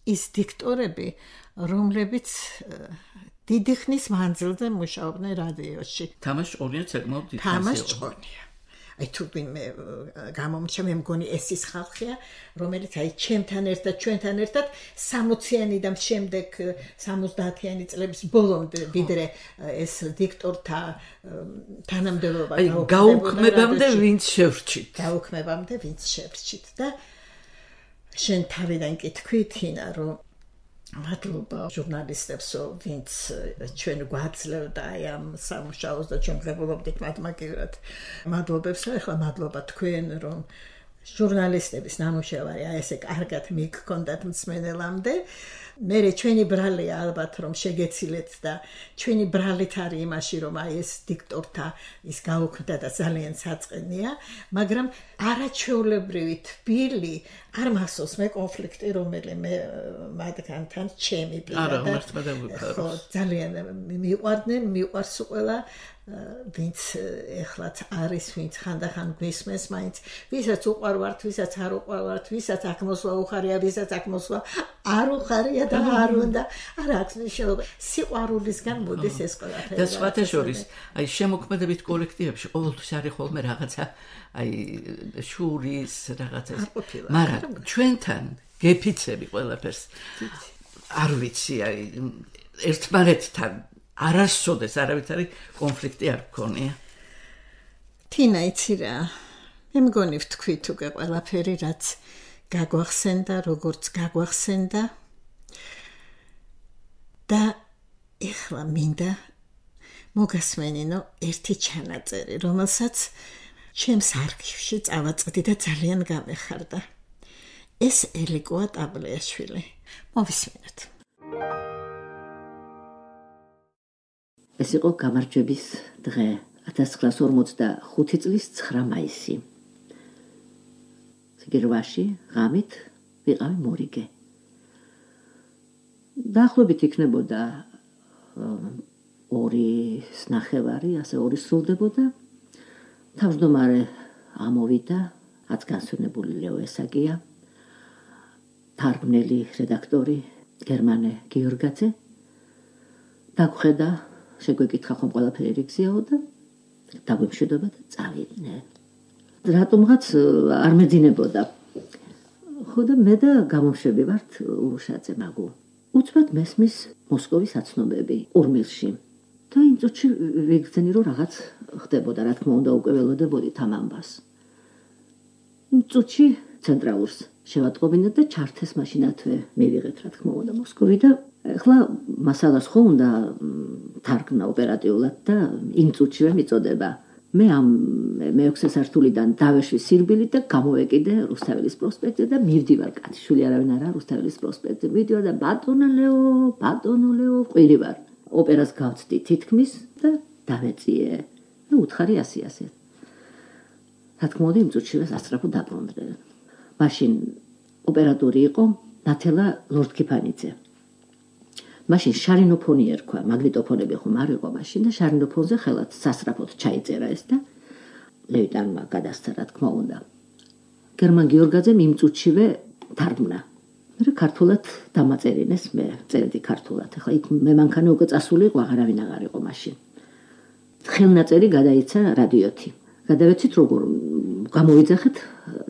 ის დიქტორები, რომლებიც დიდი ხნის მანძილზე მუშაობდნენ რადიოში. თამაშ ჭყონია საკმაოდ დიდი ხანია. თამაშ ჭყონია. აი თუ ვინმე გამომჩა მე მგონი ეს ის ხალხია, რომელიც აი ჩემთან ერთად, ჩვენთან ერთად სამოციანიდან შემდეგ სამოცდაათიანი წლების ბოლომდე ვიდრე ეს დიქტორთა თანამდებობა გაუქმებამდე ვინც შევრჩით. გაუქმებამდე ვინც შევრჩით და შენ თავიდან კი თქვი თინა რომ მადლობა ჟურნალისტებსო ვინც ჩვენ გვაძლევდა აი ამ სამუშაოს და ჩვენ ღებულობდით მათ მაგივრად მადლობებსო ეხლა მადლობა თქვენ რომ ჟურნალისტების ნამუშევარი აი ესე კარგად მიგქონდათ მსმენელამდე მე ჩვენი ბრალია ალბათ რომ შეგეცილეთ და ჩვენი ბრალით არის იმაში რომ აი ეს დიქტორთა ის გაუქმდა და ძალიან საწყენია მაგრამ არაჩვეულებრივი თბილი არ მახსოვს მე კონფლიქტი რომელიმე მათგანთან ჩემი პირადად ხო ძალიან მიყვარდნენ მიყვარს ყველა ვინც ეხლაც არის ვინც ხანდახან გვისმენს მაინც ვისაც უყვარვართ ვისაც არ უყვარვართ ვისაც აქ მოსვლა უხარია ვისაც აქ მოსვლა არ უხარია და არ უნდა არ აქვს მნიშვნელობა სიყვარულისგან მოდის ეს ყველაფერი და სხვათა შორის აი შემოქმედებით კოლექტივებში ყოველთვის არის ხოლმე რაღაცა აი შურის რაღაცა მაგრამ ჩვენთან გეფიცები ყველაფერს არ ვიცი აი ერთმანეთთან არასოდეს არავითარი კონფლიქტი არ გქონია. თინა იცი რა მე მგონი ვთქვი თუ ყველაფერი რაც გაგვახსენდა როგორც გაგვახსენდა და ეხლა მინდა მოგასმენინო ერთი ჩანაწერი რომელსაც ჩემს არქივში წავაწყდი და ძალიან გამეხარდა ეს ელიკოა ტაბლიაშვილი მოვისმინოთ ეს იყო გამარჯვების დღე ათას ცხრაას ორმოცდახუთი წლის ცხრა მაისი. ზიგირვაში ღამით ვიყავი მორიგე. დაახლოებით იქნებოდა ორი ნახევარი, ასე ორი სრულდებოდა. თავმჯდომარე ამოვიდა, აც განსვენებული ლეო ესაგია, თარგმნელი რედაქტორი გერმანე გიორგაძე. დაგვხედა, შეგვეკითხა ხომ ყველაფერი რიგზიაო და დაგვიმშვიდობა და წავიდნენ. რატომღაც არ მეძინებოდა. ხო და მე და გამომშვები ვართ ურუშაძე მაგუ. უცბად მესმის მოსკოვის აცნობები ურმილში. და იმ წუთში ვიგრძენი რომ რაღაც ხდებოდა, რა თქმა უნდა უკვე ველოდებოდით ამ ამბავს. იმ წუთში ცენტრალურს შევატყობინეთ და ჩართეს მაშინათვე მივიღეთ, რა თქმა უნდა, მოსკოვი და ახლა მასალას ხო უნდა თარგმნა ოპერატიულად და იმ წუთშივე მიწოდება. მე ამ მეექვსე სართულიდან დავეშვი სირბილით და გამოვეკიდე რუსთაველის პროსპექტზე და მივდივარ კაცშვილი არავინ არა რუსთაველის პროსპექტზე. მივდივარ და ბატონო ლეო, ბატონო ლეო, ყვირი ვარ. ოპერას გავწდი თითქმის და დავეწიე. და უთხარი ასი ასე. რა თქმა უნდა იმ წუთშივე სასწრაფო დაბრუნდნენ. მაშინ ოპერატორი იყო ნათელა ლორდ-კიფანიძე. მაშინ შარინოფონი ერქვა, მაგნიტოფონები ხომ არ იყო მაშინ და შარინოფონზე ხელად სასწრაფოდ ჩაიწერა ეს და ლევიტანმა გადასცა, რა თქმა უნდა. გერმან გიორგაძემ იმ წუთშივე თარგმნა. მე ქართულად დამაწერინეს, მე წერდი ქართულად. ახლა იქ მე მანქანა უკვე წასული იყო, აღარავინ აღარ იყო მაშინ. ხელნაწერი გადაიცა რადიოთი. გადავეცით როგორ გამოვიძახეთ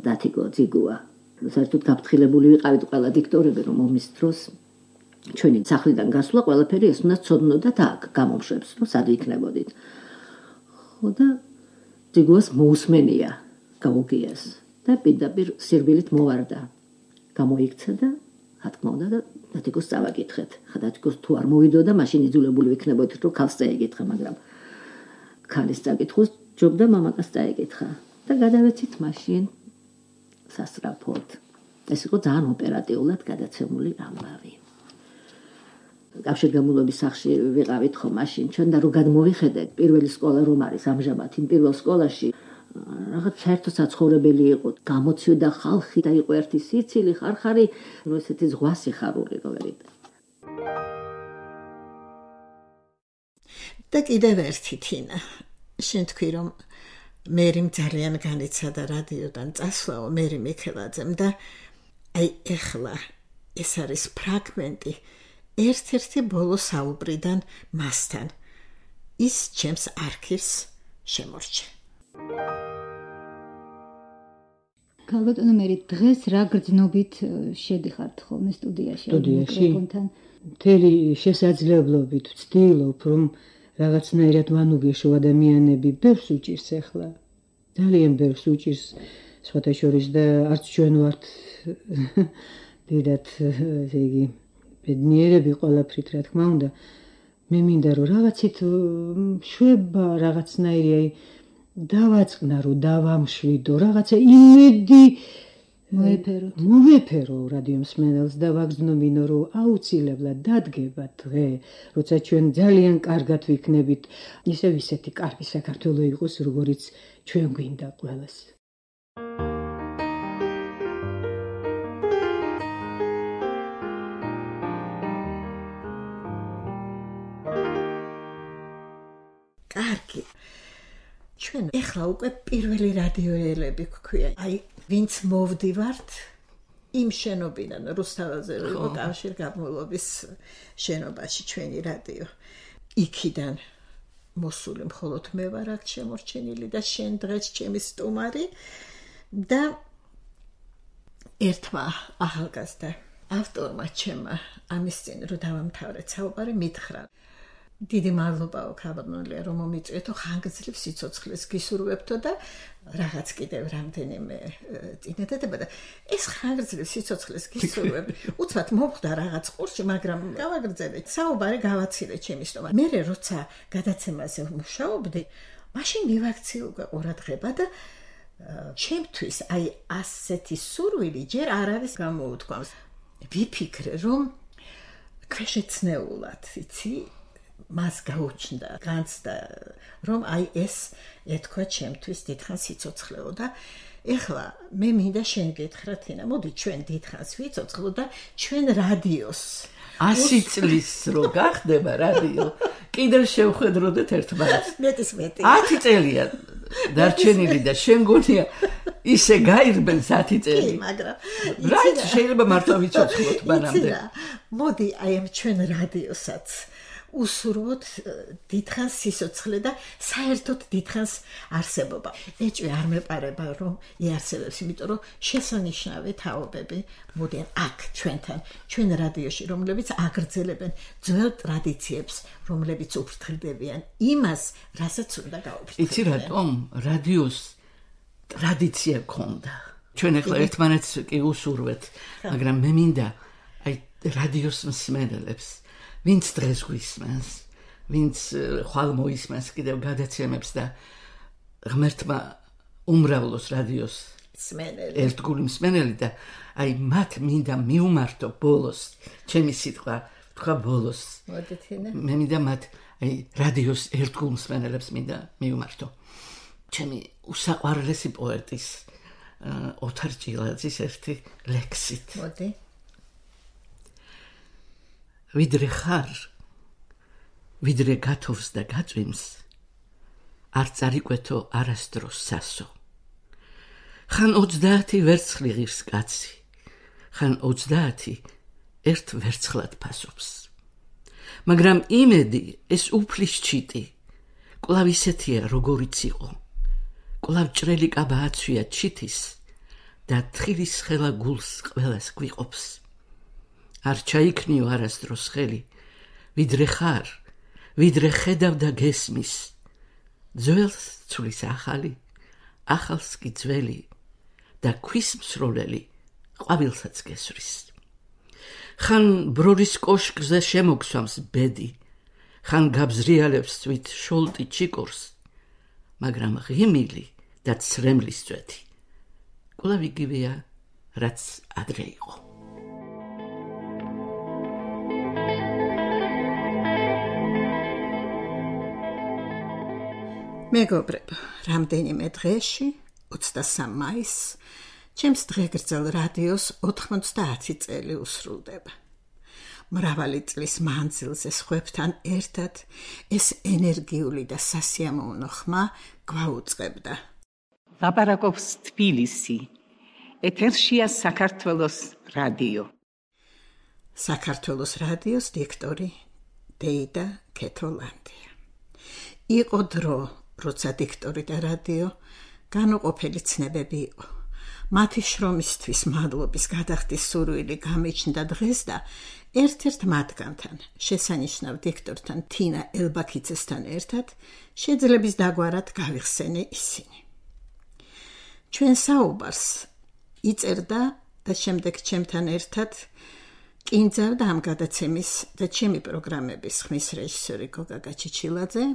დათიგო ძიგუა. საერთოდ გაფრთხილებული ვიყავით ყველა დიქტორები, რომ ომის დროს ჩვენი სახლიდან გასვლა ყველაფერი ეს უნდა ცოდნოდათ აქ გამომშვებს, რომ სად იქნებოდით. ხო და ძიგუას მოусმენია გაუგიას და პირდაპირ სირბილით მოვარდა. გამოიქცა და რა თქმა უნდა და დათიგოს წავაკითხეთ. ხა დათიგოს თუ არ მოვიდოდა, მაშინ იძულებული ვიქნებოდით, რომ ქალს წაეკითხა, მაგრამ ქალის წაკითხოს ჯობდა მამაკაც წაეკითხა და გადავეცით მაშინ სასწრაფოდ. ეს იყო ძალიან ოპერატიულად გადაცემული ამბავი. კავშირგაბმულობის სახლში ვიყავით ხო მაშინ ჩვენ და რო გადმოვიხედეთ პირველი სკოლა რომ არის ამჟამად იმ პირველ სკოლაში რაღაც საერთო საცხოვრებელი იყო, გამოცვიდა ხალხი და იყო ერთი სიცილი ხარხარი, ნუ ესეთი ზღვა სიხარული როერით. და კიდევ ერთი თინა, შენ თქვი რომ მერიმ ძალიან განიცადა რადიოდან წასვლაო მერი მიქელაძემ და აი ეხლა ეს არის ფრაგმენტი ერთ-ერთი ბოლო საუბრიდან მასთან. ის ჩემს არქივს შემორჩა. ქალბატონო მერი, დღეს რა გრძნობით შედიხართ ხოლმე სტუდიაში? სტუდიაში მთელი შესაძლებლობით ვცდილობ, რომ რაღაცნაირად ვანუგეშო ადამიანები, ბევრს უჭირს ახლა. ძალიან ბევრს უჭირს, სხვათა შორის და არც ჩვენ ვართ დიდად, ესე იგი, ბედნიერები ყველაფრით, რა თქმა უნდა. მე მინდა რომ რაღაცით შვება რაღაცნაირი აი დავაწყნა რომ დავამშვიდო რაღაცა იმედი მოეფერო მოეფერო რადიო მსმენელს და ვაგრძნობინო რომ აუცილებლად დადგება დღე როცა ჩვენ ძალიან კარგად ვიქნებით ისევ ისეთი კარგი საქართველო იყოს როგორიც ჩვენ გვინდა ყველას. კარგი. ჩვენ ეხლა უკვე პირველი რადიოელები გვქვია. აი, ვინც მოვდივართ იმ შენობიდან, რუსთაველზე იყო კავშირგაბმულობის შენობაში ჩვენი რადიო. იქიდან მოსული მხოლოდ მე ვარ აქ შემორჩენილი და შენ დღეს ჩემი სტუმარი და ერთმა ახალგაზრდა ავტორმა ჩემმა ამის წინ რომ დავამთავრეთ საუბარი მითხრა. დიდი მადლობაო ქალბატონო რომ მომიწვიეთო ხანგრძლივ სიცოცხლეს გისურვებთო და რაღაც კიდევ რამდენიმე წინადადება და ეს ხანგრძლივ სიცოცხლეს გისურვებ უცბად მოვხდა რაღაც ყურში მაგრამ გავაგრძელეთ საუბარი გავაცილე ჩემი სტომა მე როცა გადაცემაზე ვმუშაობდი მაშინ მივაქცია უკვე ყურადღება და ჩემთვის აი ასეთი სურვილი ჯერ არ არის გამოუთქვამს ვიფიქრე რომ ქვეშეცნეულად იცი მას გაუჩნდა განცდა რომ აი ეს ეთქვა ჩემთვის დიდხანს სიცოცხლეო და ეხლა მე მინდა შენ გითხრა თინა, მოდი ჩვენ დიდხანს ვიცოცხლო და ჩვენ რადიოს ასი წლის რო გახდება რადიო, კიდევ შევხედროდეთ ერთმანეთს. მეტის მეტი. ათი წელია დარჩენილი და შენ გონია ისე გაირბენს ათი წელი. კი, მაგრამ რაიც შეიძლება მართლა ვიცოცხლოთ მანამდე. მოდი აი ამ ჩვენ რადიოსაც უსურვოთ დიდხანს სიცოცხლე და საერთოდ დიდხანს არსებობა. ეჭვი არ მეპარება რომ იარსებებს, იმიტომ რომ შესანიშნავი თაობები მოდიან აქ ჩვენთან, ჩვენ რადიოში, რომლებიც აგრძელებენ ძველ ტრადიციებს, რომლებიც უფრთხილდებიან იმას, რასაც უნდა გაუფრთხილდნენ. იცი რატომ? რადიოს ტრადიცია ქონდა. ჩვენ ახლა ერთმანეთს კი უსურვეთ, მაგრამ მე მინდა აი რადიოს მსმენელებს ვინც დღეს გვისმენს, ვინც ხვალ მოისმენს კიდევ გადაცემებს და ღმერთმა უმრავლოს რადიოს მსმენელი, ერთგული მსმენელი და აი მათ მინდა მიუმართო ბოლოს, ჩემი სიტყვა თქვა ბოლოს. მე მინდა მათ აი რადიოს ერთგულ მსმენელებს მინდა მიუმართო. ჩემი უსაყვარლესი პოეტის ოთარ ჭილაძის ერთი ლექსით. მოდი. ვიდრე ხარ, ვიდრე გათოვს და გაწვიმს, არ წარიკვეთო არასდროს სასო. ხან ოცდაათი ვერცხლი ღირს კაცი, ხან ოცდაათი ერთ ვერცხლად ფასობს. მაგრამ იმედი ეს უფლის ჩიტი, კვლავ ისეთია როგორიც იყო. კვლავ ჭრელი კაბა აცვია ჩიტის და თხილის ხელა გულს ყველას გვიყოფს. არ ჩაიქნიო არასდროს ხელი, ვიდრე ხარ, ვიდრე ხედავ და გესმის, ძველს ცვლის ახალი, ახალს კი ძველი და ქვის მსროლელი ყვავილსაც გესვრის. ხან ბრორის კოშკზე შემოგსვამს ბედი, ხან გაბზრიალებს თვით შოლტი ჩიკორს, მაგრამ ღიმილი და ცრემლის წვეთი კვლავ იგივეა, რაც ადრე იყო. მეგობრებო, რამდენიმე დღეში, ოცდასამი მაისს, ჩემს დღეგრძელ რადიოს ოთხმოცდაათი წელი უსრულდება. მრავალი წლის მანძილზე სხვებთან ერთად ეს ენერგიული და სასიამოვნო ხმა გვაუწყებდა. ლაპარაკობს თბილისი, ეთერშია საქართველოს რადიო. საქართველოს რადიოს დიქტორი დეიდა კეთოლანდია. იყო დრო, როცა დიქტორი და რადიო განუყოფელი ცნებები იყო. მათი შრომისთვის მადლობის გადახდის სურვილი გამიჩნდა დღეს და ერთ-ერთ მათგანთან, შესანიშნავ დიქტორთან თინა ელბაქიძესთან ერთად შეძლების დაგვარად გავიხსენე ისინი. ჩვენ საუბარს იწერდა და შემდეგ ჩემთან ერთად კინძავდა ამ გადაცემის და ჩემი პროგრამების ხმის რეჟისორი გოგა გაჩიჩილაძე.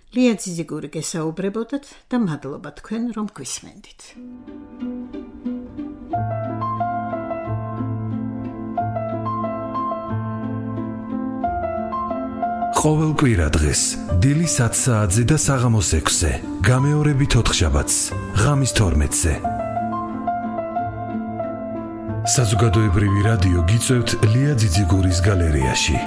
ლია ძიზიგური გესაუბრებოდათ და მადლობა თქვენ რომ გვისმენდით. ყოველ კვირა დღეს დილის ათ საათზე და საღამოს ექვსზე, გამეორებით ოთხშაბათს, ღამის თორმეტზე. საზოგადოებრივი რადიო გიწევთ ლია ძიძიგურის გალერეაში.